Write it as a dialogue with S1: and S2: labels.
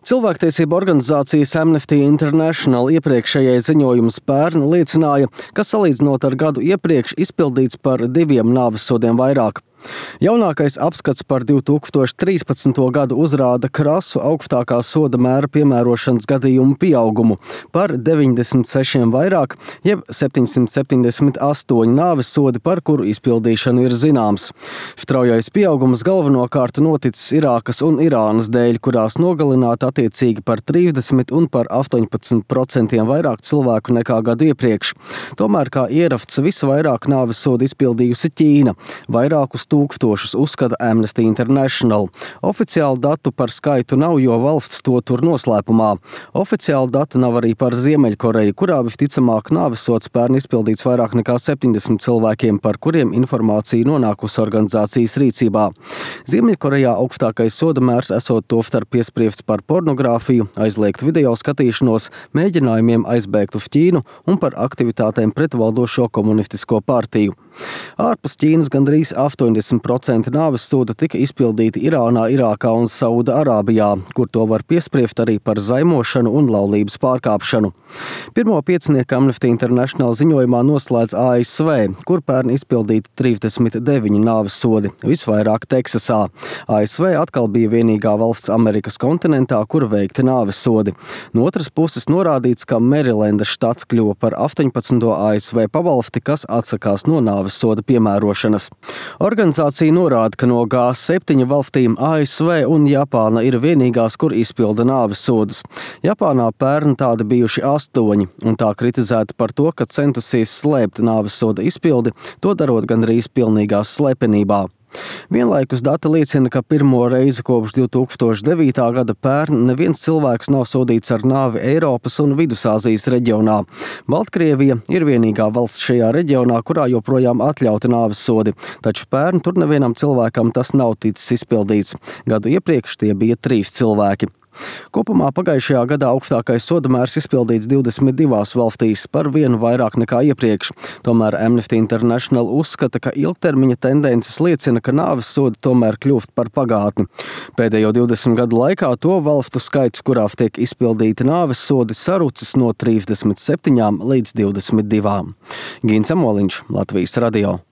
S1: Cilvēktiesību organizācijas Amnesty International iepriekšējais ziņojums pērn liecināja, ka salīdzinot ar gadu iepriekš izpildīts par 2 nāvessodiem vairāk. Jaunākais apskats par 2013. gadu uzrāda krasu augstākā soda mēra piemērošanas gadījumu pieaugumu par 96 vairāk, jeb 778 nāvessodi, par kuru izpildīšanu ir zināms. Straujais pieaugums galvenokārt noticis Irākas un Irānas dēļ, kurās nogalināti attiecīgi par 30 un par 18% vairāk cilvēku nekā gadu iepriekš. Tomēr kā ierafts visvairāk nāvessodu izpildījusi Ķīna, vairākus tūkstošus uzskata Amnesty International. Oficiālu datu par skaitu nav, jo valsts to tur noslēpumā. Oficiālu datu nav arī par Ziemeļkoreju, kurā visticamāk nāvesods pērn izpildīts vairāk nekā 70 cilvēkiem, par kuriem informācija nonākusi organizācijas rīcībā. Ziemeļkorejā augstākais soda mērs esot tostarp piespriests par pornogrāfiju, aizliegtu video skatīšanos, mēģinājumiem aizbēgt uz Ķīnu un par aktivitātēm pret valdošo komunistisko partiju. Ārpus Ķīnas gandrīz 80% nāvessoda tika izpildīti Irānā, Irākā un Sauda-Arābijā, kur to var piespriest arī par zaimošanu un laulības pārkāpšanu. Pirmo piecinieku Amnesty International ziņojumā noslēdz ASV, kur pērn izpildīti 39 nāvessodi, visvairāk Teksasā. ASV atkal bija vienīgā valsts Amerikas kontinentā, kur veikti nāvessodi. No otras puses norādīts, ka Merilendas štats kļuva par 18. ASV pavalsti, kas atsakās no nāvessoda piemērošanas. Organizācija norāda, ka no G7 valstīm ASV un Japāna ir vienīgās, kur izpilda nāvessodus. Japānā pērn tādi bijuši 8, un tā kritizēta par to, ka centusies slēpt nāvessoda izpildi, to darot gandrīz pilnīgā slepenībā. Vienlaikus dati liecina, ka pirmo reizi kopš 2009. gada pērn neviens cilvēks nav sodīts ar nāvi Eiropas un Vidusāzijas reģionā. Baltkrievija ir vienīgā valsts šajā reģionā, kurā joprojām atļauti nāvessodi, taču pērn tur nevienam cilvēkam tas nav ticis izpildīts. Gadu iepriekš tie bija 3 cilvēki. Kopumā pagājušajā gadā augstākais soda mērs izpildīts 22 valstīs, par 1 vairāk nekā iepriekš. Tomēr Amnesty International uzskata, ka ilgtermiņa tendences liecina, ka nāvessodi tomēr kļūst par pagātni. Pēdējo 20 gadu laikā to valstu skaits, kurās tiek izpildīti nāvessodi, sarucis no 37 līdz 22. Gins Amoliņš, Latvijas radio.